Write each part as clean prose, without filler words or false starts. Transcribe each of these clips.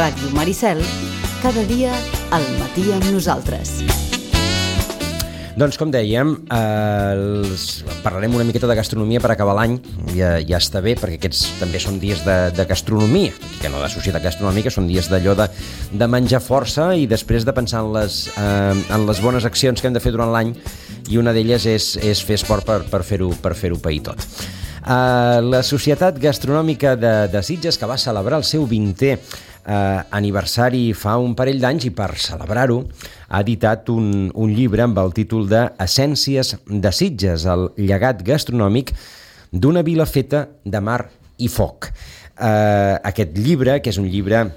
Ràdio Maricel, cada dia al matí amb nosaltres. Doncs com dèiem, parlarem una miqueta de gastronomia per acabar l'any. Ja està bé, perquè aquests també són dies de gastronomia, que no de societat gastronòmica, són dies d'allò de menjar força i després de pensar en les bones accions que hem de fer durant l'any, i una d'elles és fer esport per fer-ho pair tot. La Societat Gastronòmica de Sitges, que va celebrar el seu 20è aniversari fa un parell d'anys, i per celebrar-ho ha editat un llibre amb el títol de Essències de Sitges, el llegat gastronòmic d'una vila feta de mar i foc. Aquest llibre, que és un llibre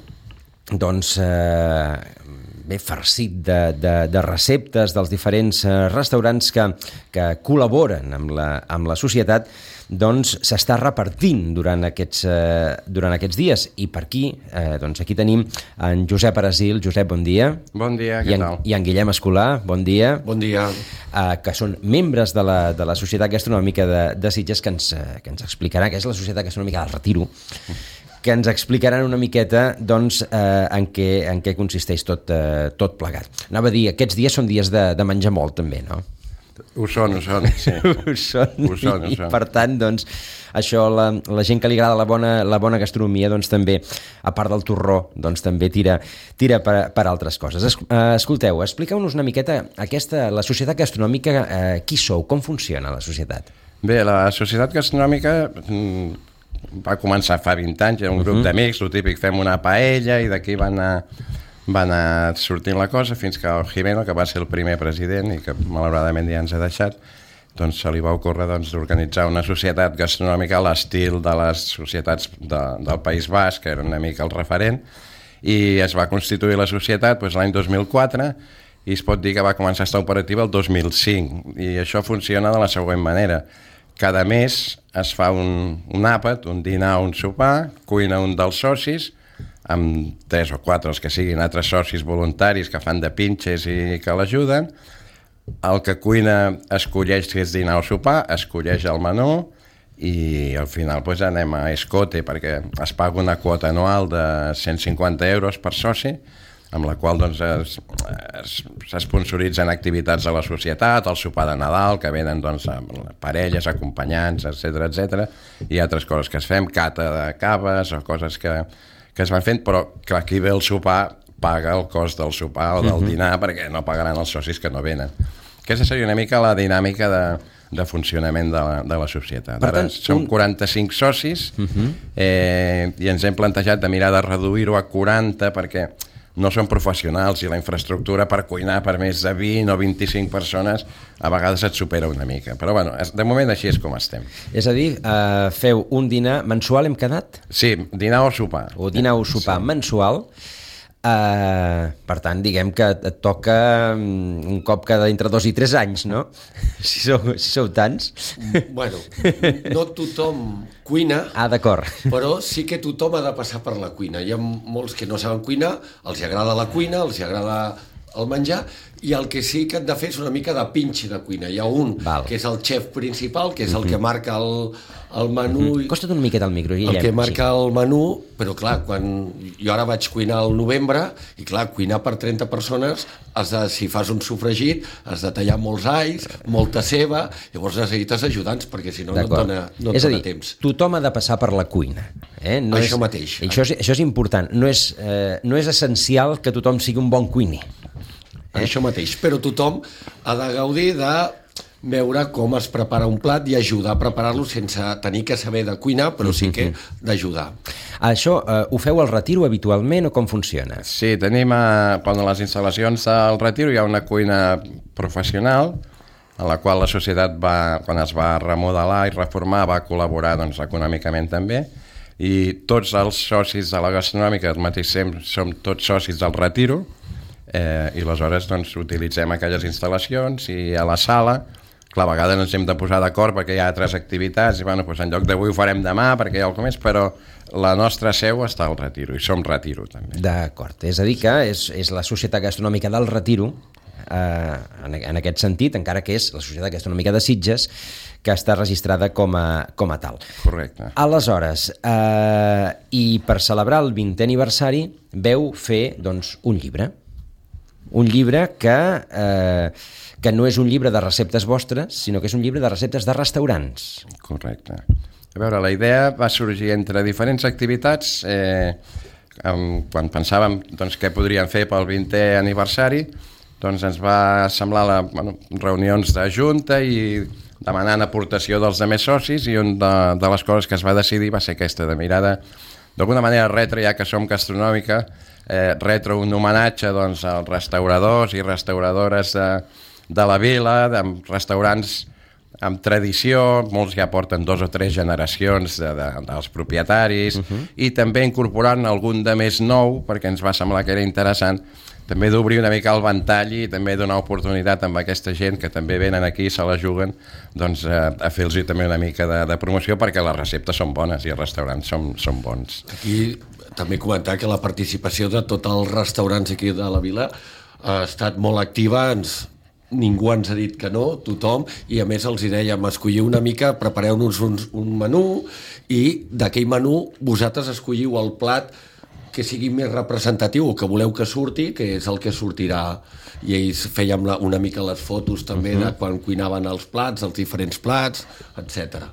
ben farcit de receptes dels diferents restaurants que col·laboren amb la societat, doncs s'està repartint durant aquests dies. I per aquí, aquí tenim en Josep Arasil. Josep, bon dia. Bon dia, què tal? I en Guillem Escolà, bon dia. Bon dia. Que són membres de la Societat Gastronòmica de Sitges, que ens explicarà què és la Societat Gastronòmica del Retiro, que ens explicaran una miqueta en què consisteix tot plegat. Anava a dir, aquests dies són dies de menjar molt, també, no? Ho són, sí. Ho són. I per tant, això, la gent que li agrada la bona gastronomia, també, a part del torró, també tira per altres coses. Escolteu, expliqueu-nos una miqueta la Societat Gastronòmica, qui sou, com funciona la societat? Bé, la Societat Gastronòmica va començar fa 20 anys, era un grup d'amics, el típic, fem una paella, i d'aquí va anar sortint la cosa, fins que el Jimeno, que va ser el primer president i que malauradament ja ens ha deixat, se li va ocórrer d'organitzar una societat gastronòmica a l'estil de les societats del País Basc, que era una mica el referent, i es va constituir la societat l'any 2004, i es pot dir que va començar a estar operativa el 2005, i això funciona de la següent manera. Cada mes es fa un àpat, un dinar o un sopar, cuina un dels socis, amb 3 o 4 els que siguin altres socis voluntaris que fan de pinches i que l'ajuden. El que cuina escolleix si és dinar o sopar, escolleix el menú, i al final anem a escote, perquè es paga una quota anual de 150 euros per soci, amb la qual s'esponsoritzen activitats de la societat, el sopar de Nadal, que venen parelles, acompanyants, etc. I altres coses que es fem, cata de caves o coses que es van fent, però clar, qui ve el sopar paga el cost del sopar o del dinar, perquè no pagaran els socis que no venen. Aquesta seria una mica la dinàmica de funcionament de la societat. Ara som 45 socis, i ens hem plantejat de mirar de reduir-ho a 40, perquè no són professionals i la infraestructura per cuinar per més de 20 o 25 persones a vegades et supera una mica. Però bueno, de moment així és com estem. És a dir, feu un dinar mensual, hem quedat? Sí, dinar o sopar. O dinar o sopar mensual. Per tant, diguem que et toca un cop cada entre 2 i 3 anys, no? Si sou tants. Bueno, no tothom cuina, d'acord. Però sí que tothom ha de passar per la cuina. Hi ha molts que no saben cuinar, els agrada la cuina, els agrada el menjar, i el que sí que han de fer és una mica de pinche de cuina. Hi ha un que és el xef principal, que és el que marca el menú. Costa't una miqueta el micro, Guillem. El que marca el menú, però clar, quan jo ara vaig cuinar al novembre, i clar, cuinar per 30 persones, si fas un sofregit, has de tallar molts alls, molta ceba, llavors necessites ajudants, perquè si no et dona temps. És a dir, tothom ha de passar per la cuina. Això mateix. Això és important. No és essencial que tothom sigui un bon cuiner. Això mateix, però tothom ha de gaudir de veure com es prepara un plat i ajudar a preparar-lo sense tenir que saber de cuinar, però sí que d'ajudar. Això ho feu al Retiro habitualment o com funciona? Sí, tenim a les instal·lacions del Retiro hi ha una cuina professional en la qual la societat quan es va remodelar i reformar va col·laborar econòmicament també, i tots els socis de la gastronòmica al mateix temps som tots socis del Retiro, i aleshores utilitzem aquelles instal·lacions, i a la sala clar, a vegades ens hem de posar d'acord perquè hi ha altres activitats, i en lloc d'avui ho farem demà perquè hi ha el comès, però la nostra seu està al Retiro, i som Retiro també. D'acord, és a dir que és la Societat Gastronòmica del Retiro, en aquest sentit, encara que és la Societat Gastronòmica de Sitges, que està registrada com a tal. Correcte. Aleshores, i per celebrar el 20è aniversari veu fer doncs, un llibre que no és un llibre de receptes vostres, sinó que és un llibre de receptes de restaurants. Correcte. A veure, la idea va sorgir entre diferents activitats. Quan pensàvem doncs, què podríem fer pel 20è aniversari, doncs ens va semblar reunions de junta i demanant aportació dels altres socis, i una de les coses que es va decidir va ser aquesta, de mirada d'alguna manera retre, ja que som gastronòmica, retre un homenatge doncs, als restauradors i restauradores de la vila, amb restaurants amb tradició, molts ja porten 2 o 3 generacions dels propietaris, i també incorporant algun de més nou, perquè ens va semblar que era interessant també d'obrir una mica el ventall i també donar oportunitat amb aquesta gent que també venen aquí i se la juguen, doncs a fer-los també una mica de promoció, perquè les receptes són bones i els restaurants són bons. Aquí també comentar que la participació de tots els restaurants aquí de la vila ha estat molt activa, ningú ens ha dit que no, tothom, i a més els hi dèiem, escolliu una mica, prepareu-nos un menú, i d'aquell menú vosaltres escolliu el plat que sigui més representatiu o que voleu que surti, que és el que sortirà. I ells fèiem una mica les fotos també de quan cuinaven els plats, els diferents plats, etc.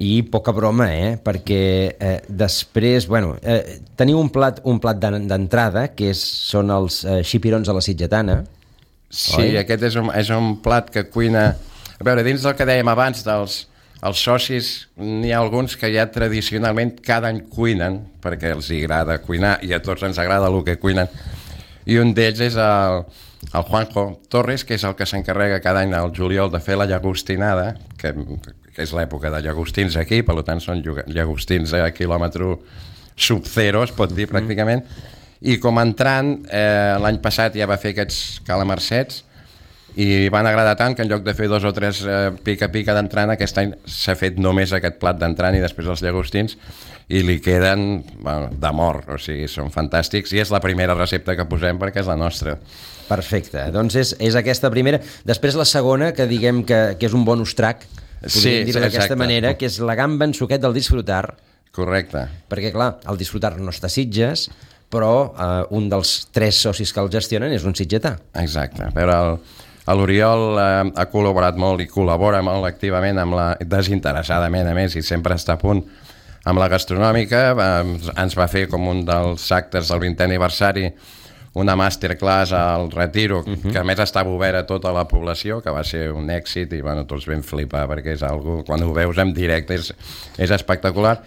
I poca broma, perquè després, teniu un plat d'entrada, que són els xipirons a la sitgetana. Sí, oi? Aquest és un plat que cuina... A veure, dins del que dèiem abans dels socis, n'hi ha alguns que ja tradicionalment cada any cuinen, perquè els agrada cuinar, i a tots ens agrada el que cuinen. I un d'ells és el Juanjo Torres, que és el que s'encarrega cada any al juliol de fer la llagostinada, que és l'època de llagostins aquí, per tant són llagostins a quilòmetre sub-zero, es pot dir pràcticament. I com entrant, l'any passat ja va fer aquests calamarsets, i van agradar tant que en lloc de fer 2 o 3 pica-pica d'entrant, aquest any s'ha fet només aquest plat d'entrant i després els llagostins, i li queden de mort, o sigui, són fantàstics, i és la primera recepta que posem perquè és la nostra. Perfecte, doncs és aquesta primera. Després la segona, que diguem que és un bonus track, podríem dir-ho d'aquesta manera, que és la gamba en suquet del Disfrutar. Correcte. Perquè, clar, el Disfrutar no està a Sitges, però un dels 3 socis que el gestionen és un sitgetà. Exacte, però l'Oriol ha col·laborat molt i col·labora molt activament desinteressadament, a més, i sempre està a punt amb la gastronòmica. Ens va fer com un dels actes del 20è aniversari una masterclass al Retiro, que a més estava obert a tota la població, que va ser un èxit, i tots vam flipar, perquè és algo, quan ho veus en directe és espectacular.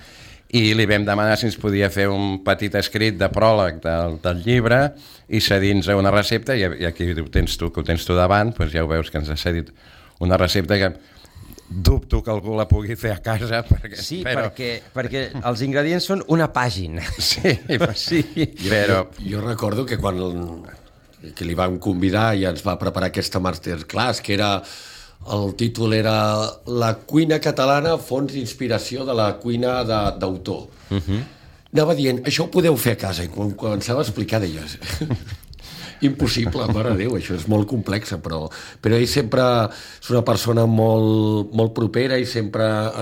I li vam demanar si ens podia fer un petit escrit de pròleg del llibre i cedir-nos una recepta, i aquí ho tens tu davant, doncs ja ho veus que ens ha cedit una recepta que dubto que algú la pugui fer a casa. Perquè els ingredients són una pàgina. Sí. Jo recordo que quan li vam convidar i ens va preparar aquesta masterclass, que era... El títol era La cuina catalana, fons d'inspiració de la cuina d'autor. Anava dient, això ho podeu fer a casa, i quan començava a explicar deies impossible, mare de Déu, això és molt complex, però ell sempre és una persona molt propera i sempre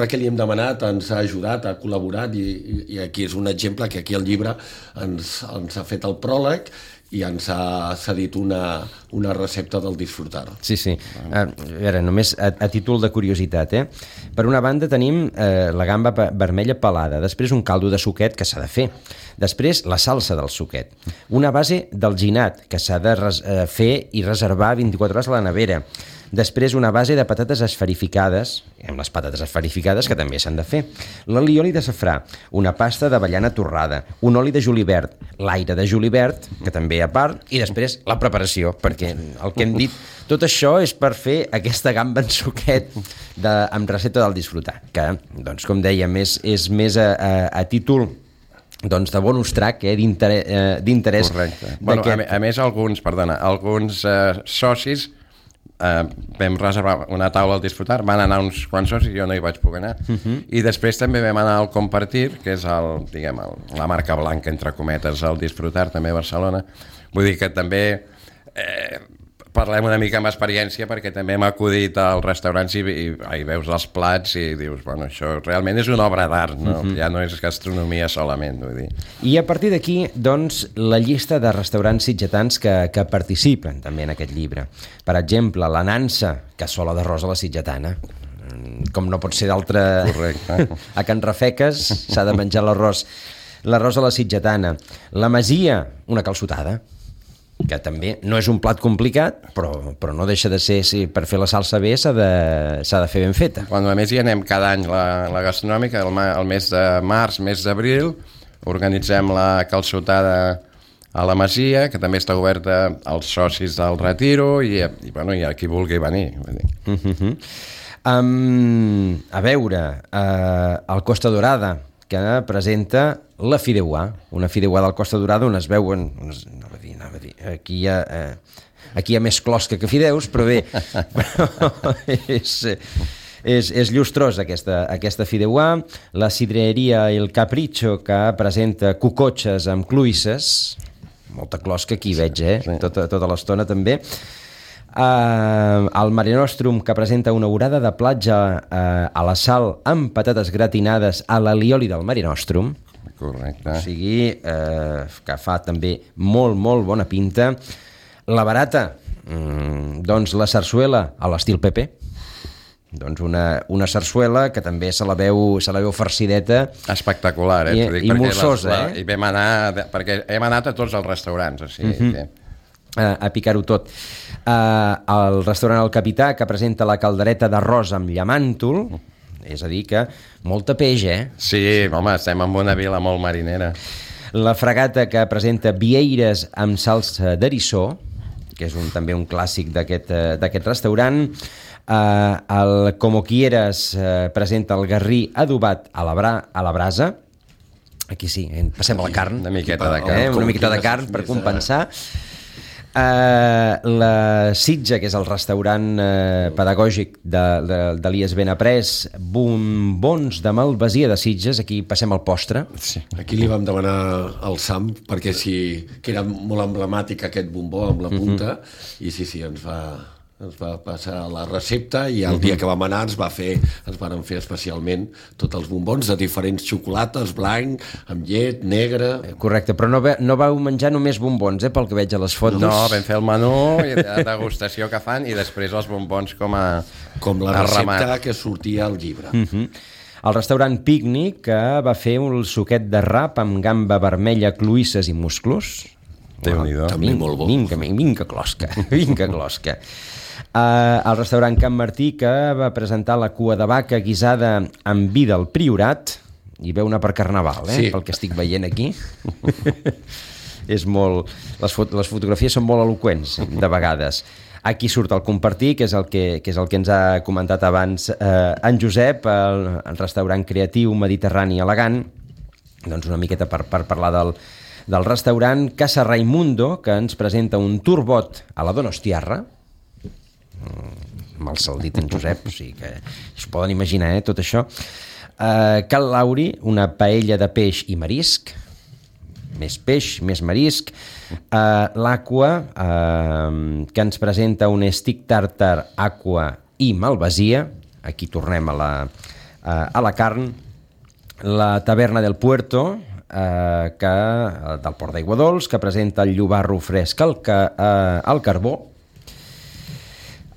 que li hem demanat ens ha ajudat, ha col·laborat, i aquí és un exemple que aquí al llibre ens ha fet el pròleg i ens ha cedit una recepta del Disfrutar. Sí. A veure, només a títol de curiositat, per una banda tenim la gamba vermella pelada, després un caldo de suquet que s'ha de fer, després la salsa del suquet, una base d'alginat que s'ha de fer i reservar 24 hores a la nevera, després una base de patates esferificades, amb les patates esferificades que també s'han de fer, l'alioli de safrà, una pasta d'avellana torrada, un oli de julivert, l'aire de julivert, que també a part, i després la preparació, perquè el que hem dit, tot això és per fer aquesta gamba en suquet amb recepta del Disfrutar, que, doncs, com dèiem, és més a títol de bonus track, d'interès. Correcte. A més, alguns socis vam reservar una taula al Disfrutar, van anar uns quants socis, jo no hi vaig poder anar, i després també vam anar al Compartir, que és la marca blanca, entre cometes, al Disfrutar, també a Barcelona. Vull dir que també parlem una mica amb experiència, perquè també hem acudit als restaurants i veus els plats i dius, bueno, això realment és una obra d'art, no? Ja no és gastronomia solament, vull dir. I a partir d'aquí, doncs, la llista de restaurants sitgetans que participen també en aquest llibre. Per exemple, la Nansa, cassola d'arròs a la sitgetana. Com no pot ser d'altre... Correcte. A Can Rafeques s'ha de menjar l'arròs a la sitgetana. La Masia, una calçotada, que també no és un plat complicat, però no deixa de ser, si per fer la salsa bé s'ha de fer ben feta. Quan a més hi anem cada any la gastronòmica, el mes de març, mes d'abril, organitzem la calçotada a la Masia, que també està oberta als socis del Retiro i a qui vulgui venir. A veure, el Costa Dorada, que presenta la Fideuà, una Fideuà del Costa Dorada on es veuen, anava a dir, aquí hi ha més closca que fideus, però bé, és llustrosa aquesta Fideuà. La Sidreria El Capricho, que presenta cucotxes amb cluïsses, molta closca aquí veig, tota l'estona també. El Mare Nostrum, que presenta una orada de platja a la sal amb patates gratinades a l'alioli del Mare Nostrum. Correcte. O sigui, que fa també molt, molt bona pinta. La barata, doncs la sarsuela a l'estil Pepe. Doncs una sarsuela que també se la veu farcideta. Espectacular, i molsosa, I vam anar, perquè hem anat a tots els restaurants, o sigui... A picar-ho tot. El restaurant El Capità, que presenta la caldereta d'arròs amb llamàntol, és a dir que molta peix, Sí, home, estem en una vila molt marinera. La Fragata, que presenta vieires amb salsa d'eriçó, que és també un clàssic d'aquest restaurant. El Como Quieras presenta el garrí adobat a la brasa. Aquí sí, passem a la carn. Una miqueta de carn. Una miqueta de carn per compensar. La Sitja, que és el restaurant pedagògic d'Elies Benaprés, bombons de malvasia de Sitges. Aquí passem al postre. Sí. Aquí li vam demanar al Sam perquè que era molt emblemàtic aquest bombó amb la punta i sí, ens va passar la recepta i el dia que vam anar ens van fer especialment tots els bombons de diferents xocolates, blanc, amb llet, negre... Correcte, però no vau menjar només bombons, pel que veig a les fotos. No, vam fer el menú i la degustació que fan i després els bombons com la recepta que sortia al llibre. El restaurant Pícnic, que va fer un suquet de rap amb gamba vermella, cloïsses i musclos. Déu-n'hi-do. També molt bo. Vinga closca. El restaurant Can Martí, que va presentar la cua de vaca guisada amb vi del Priorat, i ve una per Carnaval, sí. Pel que estic veient aquí. És molt... Les fotografies són molt eloqüents, de vegades. Aquí surt el Compartir, que és el que ens ha comentat abans en Josep, el restaurant creatiu mediterrani elegant, doncs una miqueta per parlar del restaurant Casa Raimundo, que ens presenta un turbot a la Donostiarra, mal saldit en Josep, o sigui que es poden imaginar, tot això. Cal Lauri, una paella de peix i marisc, més peix, més marisc. L'Aqua, que ens presenta un stick tartar, aqua i malvasia. Aquí tornem a la carn. La Taverna del Puerto, del Port d'Aiguadols, que presenta el llobarro fresc al carbó.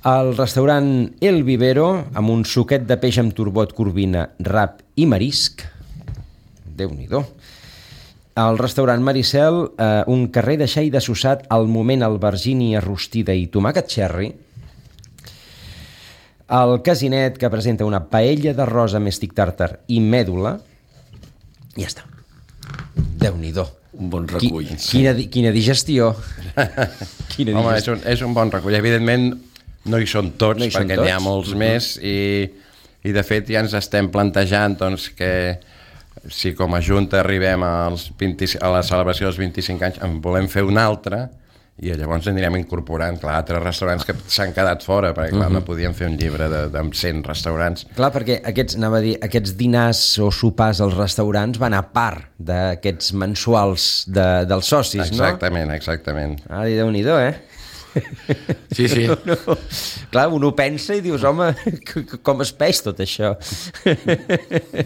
El restaurant El Vivero, amb un suquet de peix amb turbot, corvina, rap i marisc. Déu-n'hi-do. El restaurant Maricel, un carrer de xai desossat, al moment albergínia rostida i tomàquet cherry. El Casinet, que presenta una paella d'arròs amb stick tartar i mèdula. I ja està. Déu-n'hi-do. Un bon recull. Quina digestió. Home, és un bon recull. Evidentment, no hi són tots, perquè n'hi ha molts més i de fet ja ens estem plantejant doncs, que si com a Junta arribem a la celebració dels 25 anys en volem fer un altre i llavors anirem incorporant altres restaurants que s'han quedat fora, perquè no podíem fer un llibre amb 100 restaurants. Clar, perquè aquests dinars o sopars als restaurants van a part d'aquests mensuals dels socis, exactament, no? Exactament. Déu-n'hi-do, Sí, sí. No. Clar, un ho pensa i dius, home, com es peix tot això?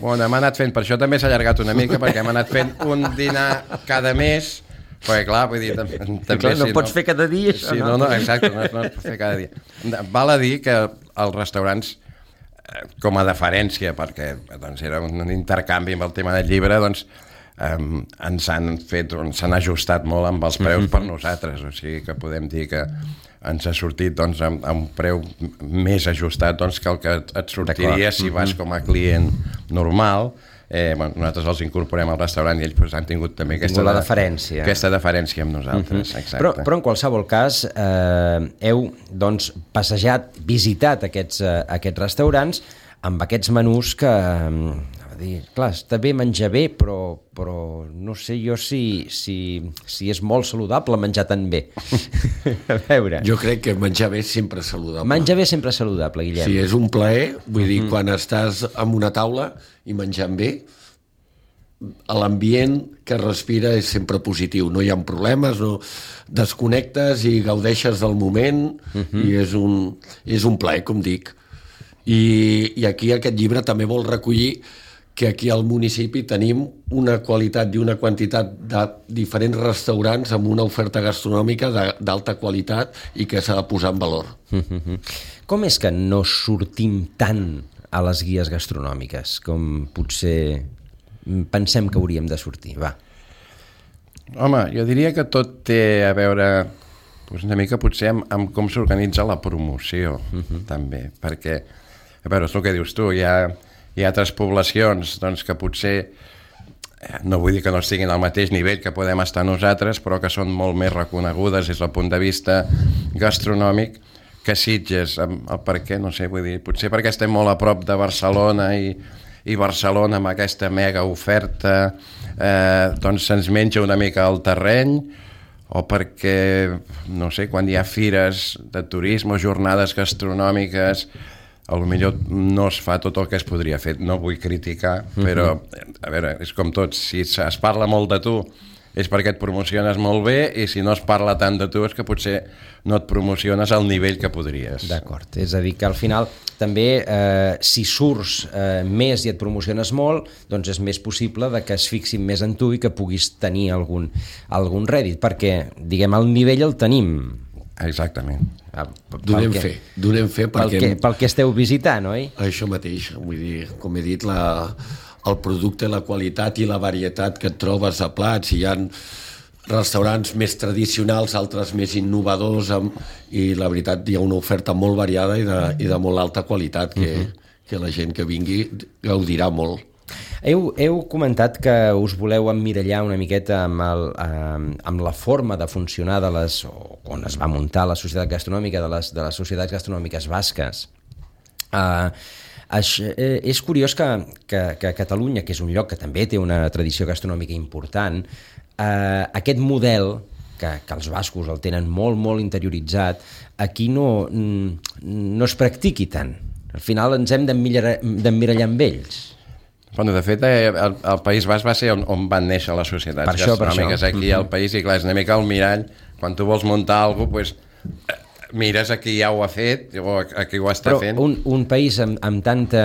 Bueno, hem anat fent, per això també s'ha allargat una mica, perquè hem anat fent un dinar cada mes, perquè clar, vull dir, també... Clar, no pots fer cada dia, això, sí, no? No, exacte, no es pot fer cada dia. Val a dir que els restaurants, com a deferència, perquè doncs, era un intercanvi amb el tema del llibre, doncs ens s'han ajustat molt amb els preus per nosaltres, o sigui que podem dir que ens ha sortit doncs, amb un preu més ajustat doncs, que el que et sortiria si vas com a client normal. Bueno, nosaltres els incorporem al restaurant i ells pues, han tingut també aquesta deferència amb nosaltres. Exacte. Però en qualsevol cas heu doncs, passejat, visitat aquests restaurants amb aquests menús que... clar, està bé menjar bé, però no sé jo si és molt saludable menjar tan bé. A veure... Jo crec que menjar bé sempre és saludable. Menjar bé sempre és saludable, Guillem. Sí, és un plaer, vull dir, quan estàs en una taula i menjant bé, l'ambient que respira és sempre positiu, no hi ha problemes, no desconnectes i gaudeixes del moment, i és un plaer, com dic. I aquí aquest llibre també vol recollir que aquí al municipi tenim una qualitat i una quantitat de diferents restaurants amb una oferta gastronòmica d'alta qualitat i que s'ha de posar en valor. Com és que no sortim tant a les guies gastronòmiques com potser pensem que hauríem de sortir? Va. Home, jo diria que tot té a veure una mica potser amb com s'organitza la promoció, també, perquè, a veure, és el que dius tu, hi ha altres poblacions doncs, que potser, no vull dir que no estiguin al mateix nivell que podem estar nosaltres, però que són molt més reconegudes des del punt de vista gastronòmic que Sitges. Per què? No sé, vull dir, potser perquè estem molt a prop de Barcelona i Barcelona amb aquesta mega oferta doncs se'ns menja una mica el terreny, o perquè, no sé, quan hi ha fires de turisme o jornades gastronòmiques potser no es fa tot el que es podria fer. No vull criticar, però a veure, és com tot, si es parla molt de tu és perquè et promociones molt bé, i si no es parla tant de tu és que potser no et promociones al nivell que podries. D'acord, és a dir que al final també si surts més i et promociones molt, doncs és més possible de que es fixin més en tu i que puguis tenir algun rèdit, perquè diguem el nivell el tenim. Exactament. Donem fe perquè... Pel que esteu visitant, oi? Això mateix, vull dir, com he dit, el producte, la qualitat i la varietat que et trobes a plats. Hi ha restaurants més tradicionals, altres més innovadors, i la veritat hi ha una oferta molt variada i de molt alta qualitat que la gent que vingui gaudirà molt. Heu comentat que us voleu emmirallar una miqueta amb la forma de funcionar on es va muntar la societat gastronòmica de les societats gastronòmiques basques. És curiós que Catalunya, que és un lloc que també té una tradició gastronòmica important, aquest model que els bascos el tenen molt, molt interioritzat, aquí no es practiqui tant. Al final ens hem d'emmirallar amb ells. Bueno, de fet, el País Basc va ser on van néixer les societats gastronòmiques aquí al país, i clar, és una mica el mirall. Quan tu vols muntar alguna cosa, doncs, mires a qui ja ho ha fet o a qui ho està fent. Però un país amb tanta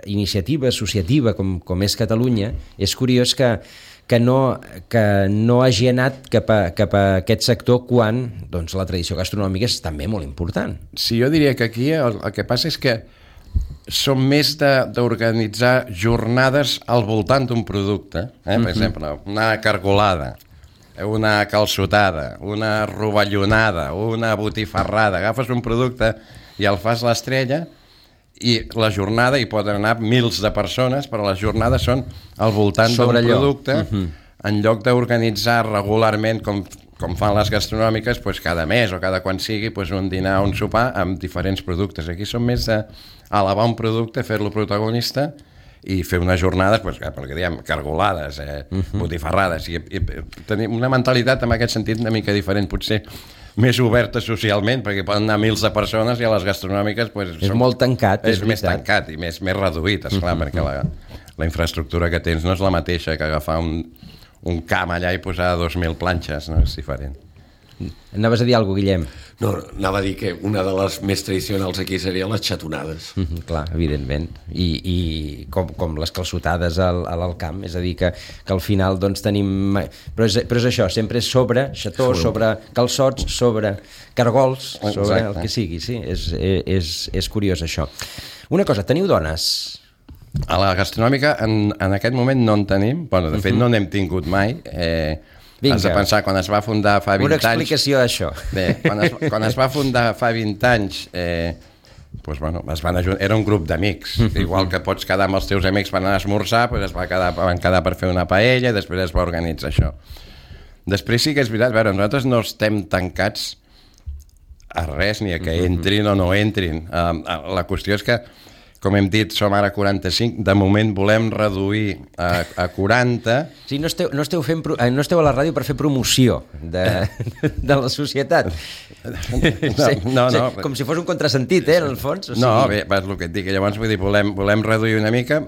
iniciativa associativa com és Catalunya, és curiós que no hagi anat cap a aquest sector quan la tradició gastronòmica és també molt important. Sí, jo diria que aquí el que passa és que som més d'organitzar jornades al voltant d'un producte. Per exemple, una cargolada, una calçotada, una rovellonada, una botifarrada. Agafes un producte i el fas l'estrella, i la jornada hi poden anar mils de persones, però les jornades són al voltant d'un producte, en lloc d'organitzar regularment com fan les gastronòmiques, cada mes o cada quan sigui, un dinar o un sopar amb diferents productes. Aquí som més d'elevar un producte, fer-lo protagonista i fer unes jornades, pel que diem, cargolades, botifarrades, i tenir una mentalitat en aquest sentit una mica diferent, potser més oberta socialment, perquè poden anar mils de persones, i a les gastronòmiques és molt tancat, és més tancat i més reduït, esclar, perquè la infraestructura que tens no és la mateixa que agafar un camp allà i posar 2.000 planxes, no? És diferent. Anaves a dir alguna cosa, Guillem? No, anava a dir que una de les més tradicionals aquí serien les xatonades. Clar, evidentment. I com les calçotades a l'alt camp, és a dir, que al final doncs tenim... Però és això, sempre és sobre xató, sobre calçots, sobre cargols, sobre el que sigui, sí. És curiós, això. Una cosa, teniu dones? A la gastronòmica, en aquest moment no en tenim. Bueno, de fet, no n'hem tingut mai. Has de pensar, quan es va fundar fa 20 anys... Una explicació d'això. Bé, quan es va fundar fa 20 anys, doncs, bueno, era un grup d'amics. Igual que pots quedar amb els teus amics per anar a esmorzar, doncs van quedar per fer una paella i després es va organitzar això. Després sí que és veritat, a veure, nosaltres no estem tancats a res, ni a que entrin o no entrin. La qüestió és que, com hem dit, som ara 45, de moment volem reduir a 40. Sí, no esteu a la ràdio per fer promoció de la societat. No. Com si fos un contrasentit, en el fons. O sigui... No, bé, és el que et dic. Llavors, vull dir, volem reduir una mica.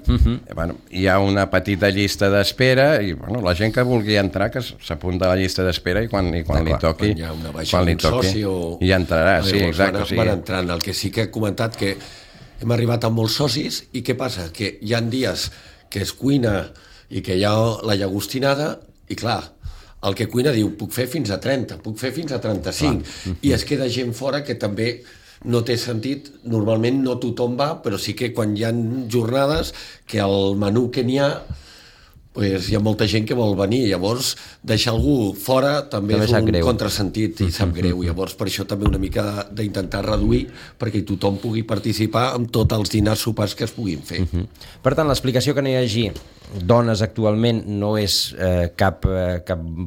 Bueno, hi ha una petita llista d'espera i bueno, la gent que vulgui entrar, que s'apunta a la llista d'espera i quan li toqui, quan hi ha una baixa d'un soci i entrarà. Sí, exacte. Van entrant. El que sí que he comentat que hem arribat amb molts socis i què passa? Que hi ha dies que es cuina i que hi ha la llagostinada i clar, el que cuina diu puc fer fins a 30, puc fer fins a 35 i es queda gent fora que també no té sentit, normalment no tothom va, però sí que quan hi ha jornades que el menú que n'hi ha pues hi ha molta gent que vol venir, llavors deixar algú fora també és un contrasentit i sap greu, llavors per això també una mica d'intentar reduir perquè tothom pugui participar amb tots els dinars sopars que es puguin fer. Per tant, l'explicació que no hi hagi dones actualment no és cap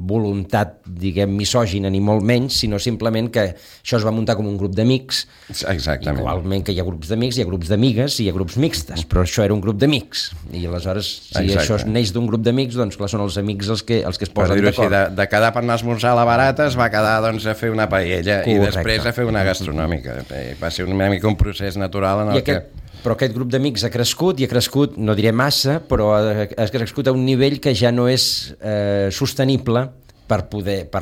voluntat, diguem, misògina ni molt menys, sinó simplement que això es va muntar com un grup d'amics. Exactament. Igualment que hi ha grups d'amics, hi ha grups d'amigues i hi ha grups mixtes, però això era un grup d'amics i aleshores si això neix d'un grup d'amics, doncs clar, són els amics els que es posen d'acord. De quedar per anar a esmorzar a la barata es va quedar doncs, a fer una paella. Correcte. I després a fer una gastronòmica. Va ser una mica un procés natural en el que... Però aquest grup d'amics ha crescut, i ha crescut, no diré massa, però ha crescut a un nivell que ja no és sostenible per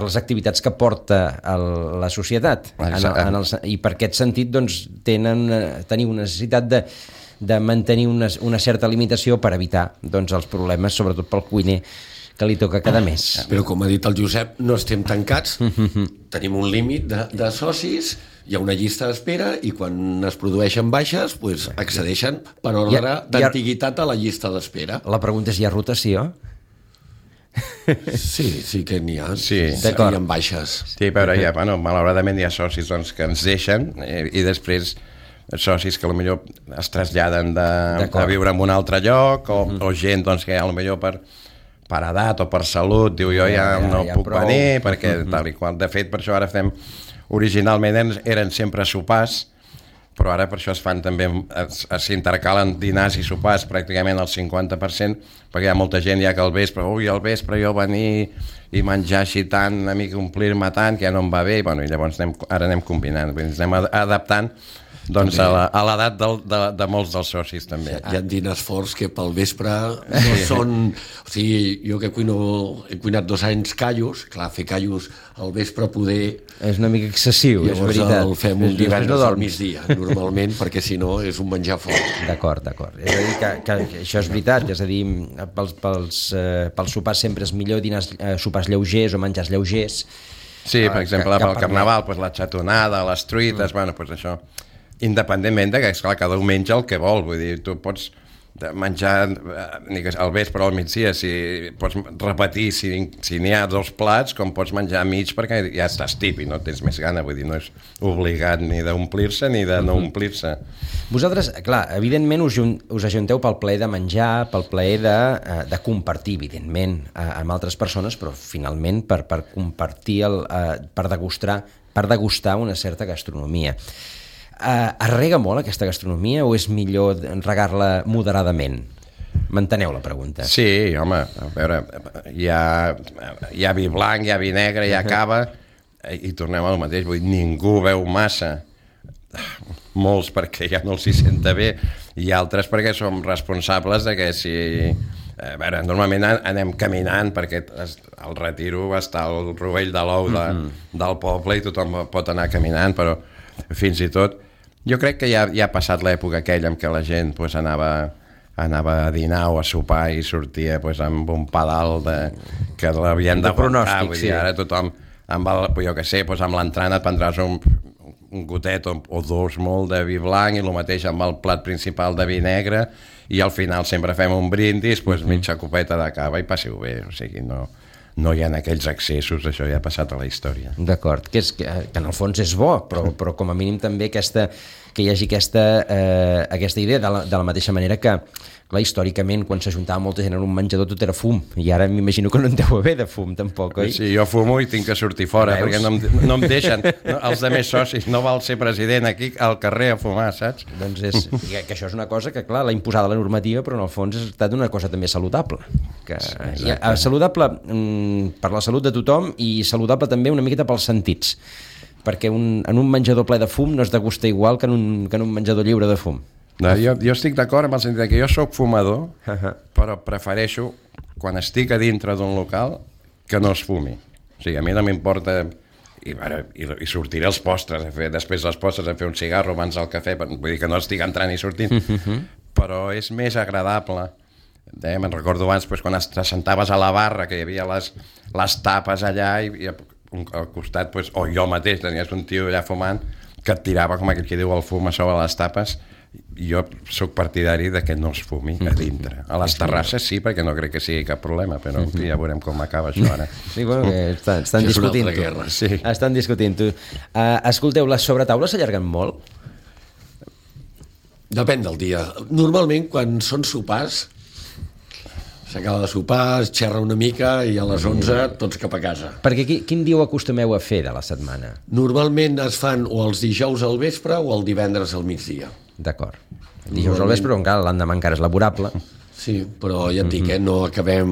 les activitats que porta la societat. I per aquest sentit doncs, teniu una necessitat de mantenir una certa limitació per evitar doncs, els problemes, sobretot pel cuiner que li toca cada mes. Però com ha dit el Josep, no estem tancats, tenim un límit de socis, hi ha una llista d'espera i quan es produeixen baixes pues, accedeixen per ordre d'antiguitat a la llista d'espera. La pregunta és, hi ha rotació? Sí que n'hi ha. Sí. Hi ha baixes. Sí, però malauradament hi ha socis doncs, que ens deixen i després socis que potser es traslladen a viure en un altre lloc o gent doncs, que potser per edat o per salut diu jo ja no puc venir perquè tal i qual. De fet, per això ara fem originalment eren sempre sopars, però ara per això es fan també s'intercalen dinars i sopars pràcticament al 50%, perquè hi ha molta gent ja que al vespre jo venir i menjar així tant, una mica omplir-me tant que ja no em va bé, i llavors ara anem combinant, ens anem adaptant doncs a l'edat de molts dels socis també. Hi ha dinars forts que pel vespre no són... O sigui, jo que he cuinat 2 anys callos, clar, fer callos al vespre poder... És una mica excessiu, és veritat. Llavors el fem un divendres al migdia, normalment, perquè si no és un menjar fort. D'acord. És a dir, que això és veritat, és a dir, pels sopars sempre és millor dinar sopars lleugers o menjars lleugers. Sí, per exemple, pel Carnaval, la xatonada, les truites, això... Independentment de que, esclar, cada un menja el que vol, vull dir, tu pots menjar al vespre o al migdia, pots repetir si n'hi ha 2 plats, com pots menjar mig perquè ja estàs tip i no tens més gana, vull dir, no és obligat ni d'omplir-se ni de no omplir-se. Vosaltres, clar, evidentment us ajunteu pel plaer de menjar, pel plaer de compartir, evidentment, amb altres persones, però finalment per compartir, per degustar una certa gastronomia. Es rega molt aquesta gastronomia o és millor regar-la moderadament? M'enteneu la pregunta? Sí, home, a veure, hi ha vi blanc, hi ha vi negre, hi ha cava, i tornem al mateix, vull dir, ningú veu massa, molts perquè ja no els hi senta bé, i altres perquè som responsables de que si A veure, normalment anem caminant perquè al Retiro està el rovell de l'ou del poble i tothom pot anar caminant, però fins i tot jo crec que ja ha passat l'època aquella en què la gent pues, anava a dinar o a sopar i sortia pues, amb un pedal que l'havien de pronòstic, vull dir, ara tothom amb amb l'entrant et prendràs un gotet o dos molt de vi blanc i el mateix amb el plat principal de vi negre i al final sempre fem un brindis, pues, mitja copeta de cava i passeu bé, o sigui, no hi ha aquells excessos, això ja ha passat a la història. D'acord, que en el fons és bo, però com a mínim també que hi hagi aquesta idea de la mateixa manera que, clar, històricament, quan s'ajuntava molta gent en un menjador tot era fum, i ara m'imagino que no en deu haver de fum, tampoc, oi? Sí, jo fumo i tinc que sortir fora, perquè no em deixen, els de més socis, no val ser president aquí al carrer a fumar, saps? Doncs que això és una cosa que, clar, l'ha imposada la normativa, però en el fons ha estat una cosa també saludable. Saludable per la salut de tothom i saludable també una miqueta pels sentits, perquè en un menjador ple de fum no es degusta igual que en un menjador lliure de fum. No, jo estic d'acord amb el sentit que jo sóc fumador, però prefereixo, quan estic a dintre d'un local, que no es fumi. O sigui, a mi no m'importa... I sortiré als postres, després dels postres a fer un cigarro abans del cafè, vull dir que no estic entrant i sortint, però és més agradable. Me'n recordo abans quan t'assentaves a la barra, que hi havia les tapes allà i al costat, o jo mateix, tenies un tio allà fumant que et tirava, com aquell que diu, el fum a sobre les tapes. Jo sóc partidari de que no es fumi a dintre. A les terrasses sí, perquè no crec que sigui cap problema, però ja veurem com acaba això ara. Sí, bueno, estan discutint-ho. Sí. Estan discutint-ho. Escolteu, les sobretaules s'allarguen molt? Depèn del dia. Normalment, quan són sopars, s'acaba de sopar, es xerra una mica i a les 11 tots cap a casa. Perquè quin dia ho acostumeu a fer de la setmana? Normalment es fan o els dijous al vespre o el divendres al migdia. D'acord. Dijous al vespre, encara l'endemà encara és laborable. Sí, però ja et dic, no acabem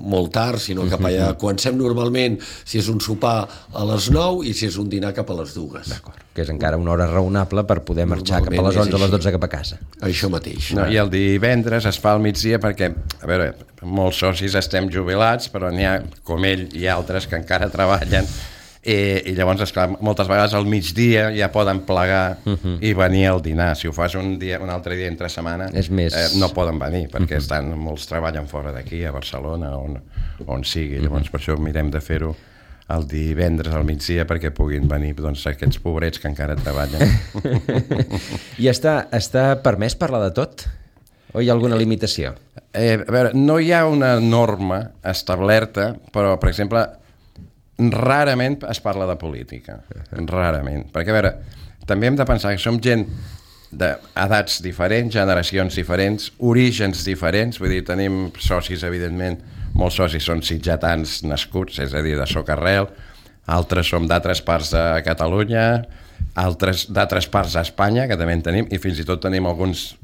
molt tard, sinó cap allà. Comencem normalment, si és un sopar, a les 9 i si és un dinar cap a les 2. D'acord, que és encara una hora raonable per poder marxar cap a les 11 o les 12 cap a casa. Això mateix. No, I el divendres es fa al migdia perquè, a veure, molts socis estem jubilats, però n'hi ha, com ell i altres, que encara treballen, i llavors, esclar, moltes vegades al migdia ja poden plegar i venir al dinar. Si ho fas un altre dia entre setmana, no poden venir, perquè molts treballen fora d'aquí, a Barcelona, on sigui. Llavors, per això mirem de fer-ho el divendres al migdia perquè puguin venir aquests pobrets que encara treballen. I està permès parlar de tot? O hi ha alguna limitació? A veure, no hi ha una norma establerta, però, per exemple, rarament es parla de política, rarament, perquè a veure, també hem de pensar que som gent d'edats diferents, generacions diferents, orígens diferents, vull dir, tenim socis, evidentment, molts socis són sitgetans nascuts, és a dir, de Socarrel, altres som d'altres parts de Catalunya, altres d'altres parts d'Espanya, que també en tenim, i fins i tot tenim algunes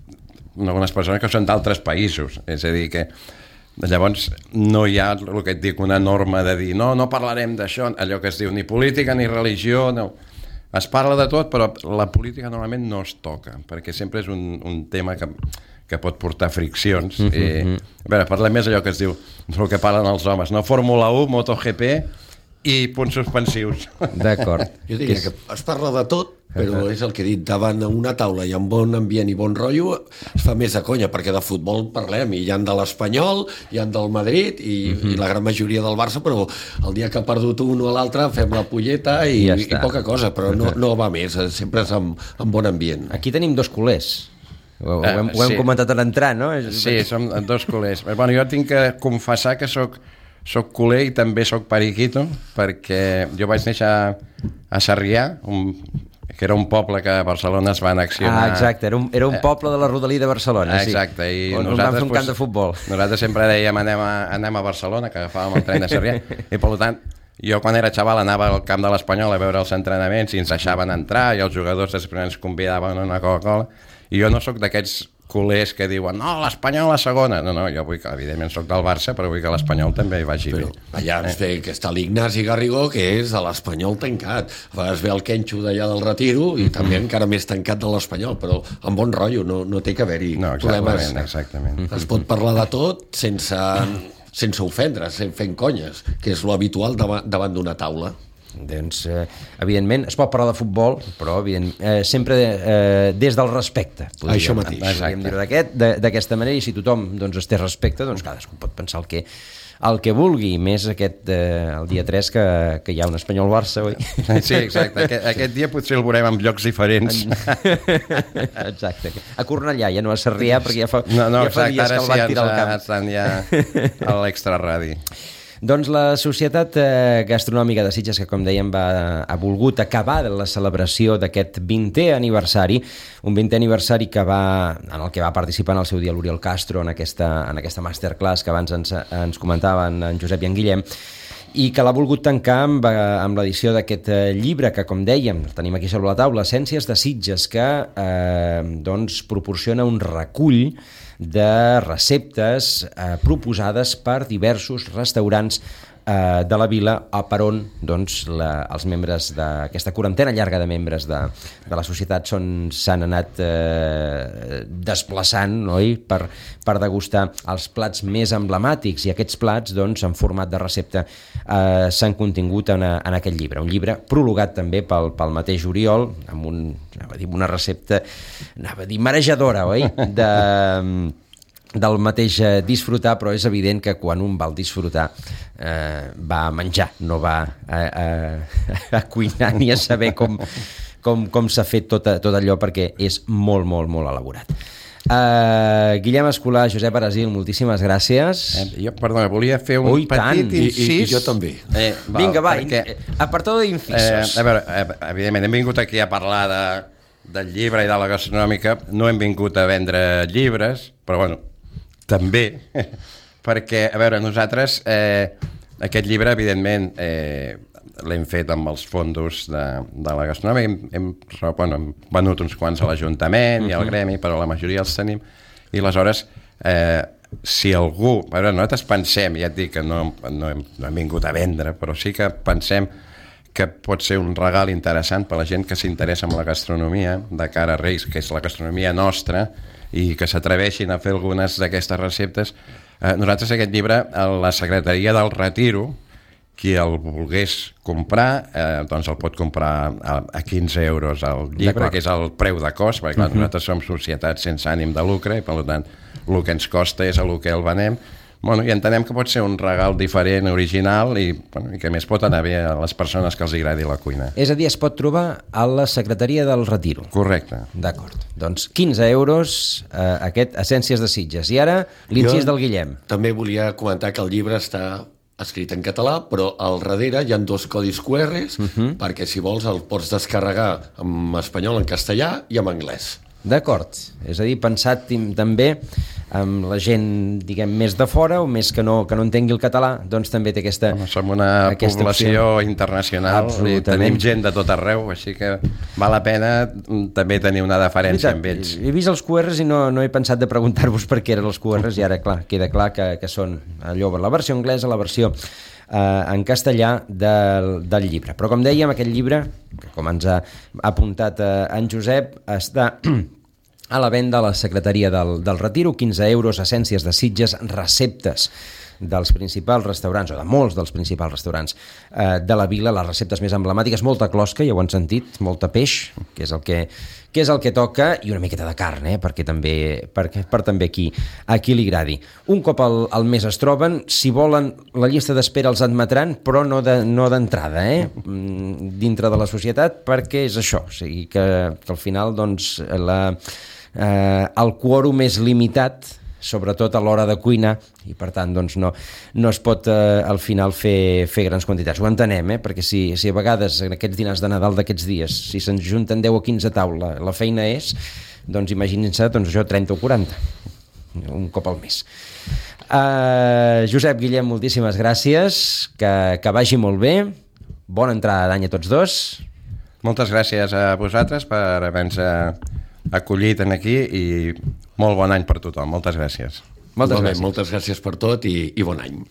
persones que són d'altres països, és a dir, que llavors no hi ha el que et dic, una norma de dir no parlarem d'això, allò que es diu ni política ni religió, no. Es parla de tot, però la política normalment no es toca, perquè sempre és un tema que pot portar friccions. A veure, parlem més allò que es diu, el que parlen els homes, no? Fórmula 1, MotoGP i punts suspensius. D'acord. Jo diria que es parla de tot, però és el que he dit, davant una taula i amb bon ambient i bon rotllo es fa més de conya, perquè de futbol parlem i hi ha de l'Espanyol, hi ha del Madrid i la gran majoria del Barça, però el dia que ha perdut un o l'altre fem la polleta i poca cosa, però no va més, sempre és amb bon ambient. Aquí tenim dos culers. Ho hem comentat a l'entrar, no? Sí, som dos culers. Bueno, jo tinc que confessar que soc culer i també soc periquito, perquè jo vaig néixer a Sarrià, que era un poble que a Barcelona es va annexionar. Exacte, era un poble de la rodalia de Barcelona, sí. Exacte, i on vam fer un camp de futbol. Nosaltres sempre dèiem anem a Barcelona, que agafàvem el tren de Sarrià, i per tant, jo quan era xaval anava al camp de l'Espanyol a veure els entrenaments i ens deixaven entrar, i els jugadors després ens convidaven a una Coca-Cola, i jo no sóc d'aquests culers que diuen no, l'Espanyol a la segona. No, jo vull que, evidentment, soc del Barça, però vull que l'Espanyol també hi vagi bé. Allà ens ve que està l'Ignasi Garrigó, que és de l'Espanyol tancat. A vegades ve el Kenxo d'allà del Retiro i també encara més tancat de l'Espanyol, però amb bon rotllo, no té que haver-hi problemes. Exactament. Es pot parlar de tot sense ofendre, fent conyes, que és lo habitual davant d'una taula. Doncs, evidentment, es pot parlar de futbol, però sempre des del respecte. Això mateix. Podríem dir-ho d'aquesta manera, i si tothom doncs, es té respecte, doncs cadascú pot pensar el que vulgui, més el dia 3 que hi ha un Espanyol-Barça, oi? Sí, exacte. Aquest dia potser el veurem en llocs diferents. Exacte. A Cornellà, ja no a Sarrià, perquè ja fa exacte, dies que el van tirar al camp. Estan ja a l'extraradi. Doncs la Societat Gastronòmica de Sitges, que com dèiem ha volgut acabar la celebració d'aquest 20è aniversari, un 20è aniversari en el que va participar en el seu dia l'Oriol Castro en aquesta masterclass que abans ens comentaven en Josep i en Guillem, i que l'ha volgut tancar amb l'edició d'aquest llibre que, com dèiem, tenim aquí sobre la taula, Essències de Sitges, que doncs proporciona un recull de receptes proposades per diversos restaurants de la vila, per on doncs, els membres d'aquesta quarantena llarga de membres de la societat s'han anat desplaçant, oi? per degustar els plats més emblemàtics, i aquests plats doncs, en format de recepta s'han contingut en aquest llibre, un llibre prologat també pel mateix Oriol, amb una recepta marejadora, oi? Del mateix disfrutar, però és evident que quan un va al disfrutar va a menjar, no va a cuinar ni a saber com s'ha fet tot allò, perquè és molt, molt, molt elaborat. Guillem Escolà, Josep Arasil, moltíssimes gràcies. Jo, perdona, volia fer un petit incís. I jo també. Vinga, va, apartado d'incisos. A veure, evidentment, hem vingut aquí a parlar del llibre i de la gastronòmica, no hem vingut a vendre llibres, però bueno, també, perquè, a veure, nosaltres aquest llibre, evidentment, l'hem fet amb els fondos de la gastronòmica, hem venut uns quants a l'Ajuntament i al Gremi, però la majoria els tenim, i aleshores, si algú... A veure, nosaltres pensem, ja et dic que no hem vingut a vendre, però sí que pensem que pot ser un regal interessant per a la gent que s'interessa en la gastronomia de cara a Reis, que és la gastronomia nostra, i que s'atreveixin a fer algunes d'aquestes receptes. Nosaltres aquest llibre, a la Secretaria del Retiro, qui el volgués comprar, doncs el pot comprar a 15 euros al llibre, que és el preu de cost, perquè clar, nosaltres som societat sense ànim de lucre, i per tant el que ens costa és el que el venem. Bueno, i entenem que pot ser un regal diferent, original, i que més pot anar bé a les persones que els agradi la cuina. És a dir, es pot trobar a la Secretaria del Retiro. Correcte. D'acord. Doncs 15 euros aquest Essències de Sitges. I ara l'incís del Guillem. També volia comentar que el llibre està escrit en català, però al darrere hi ha 2 codis QRs perquè si vols el pots descarregar en espanyol, en castellà i en anglès. D'acord, és a dir, pensat també amb la gent, diguem, més de fora o més que no entengui el català, doncs també té aquesta... Som una població internacional i tenim gent de tot arreu, així que val la pena també tenir una deferència amb ells. He vist els QRs i no he pensat de preguntar-vos per què eren els QRs, i ara, clar, queda clar que són allò, la versió anglesa, la versió en castellà del llibre. Però com dèiem, aquest llibre, que com ens ha apuntat en Josep, està a la venda a la Secretaria del Retiro, 15 euros, Essències de Sitges, receptes dels principals restaurants, o de molts dels principals restaurants de la vila, les receptes més emblemàtiques, molta closca, ja ho han sentit, molta peix, que és el que toca, i una miqueta de carn, perquè també a qui li agradi. Un cop al mes es troben, si volen, la llista d'espera els admetran, però no d'entrada, dintre de la societat, perquè és això, o sigui que al final doncs, el quòrum és limitat, sobretot a l'hora de cuinar, i per tant doncs, no es pot al final fer grans quantitats. Ho entenem, perquè si a vegades en aquests dinars de Nadal d'aquests dies, si se'ns junten 10 o 15 a taula, la feina és, doncs imaginin-se, doncs això 30 o 40, un cop al mes. Josep, Guillem, moltíssimes gràcies, que vagi molt bé, bona entrada d'any a tots dos. Moltes gràcies a vosaltres per haver-nos acollit aquí i Molt bon any per tothom. Moltes gràcies. Moltes gràcies. Moltes gràcies per tot i bon any.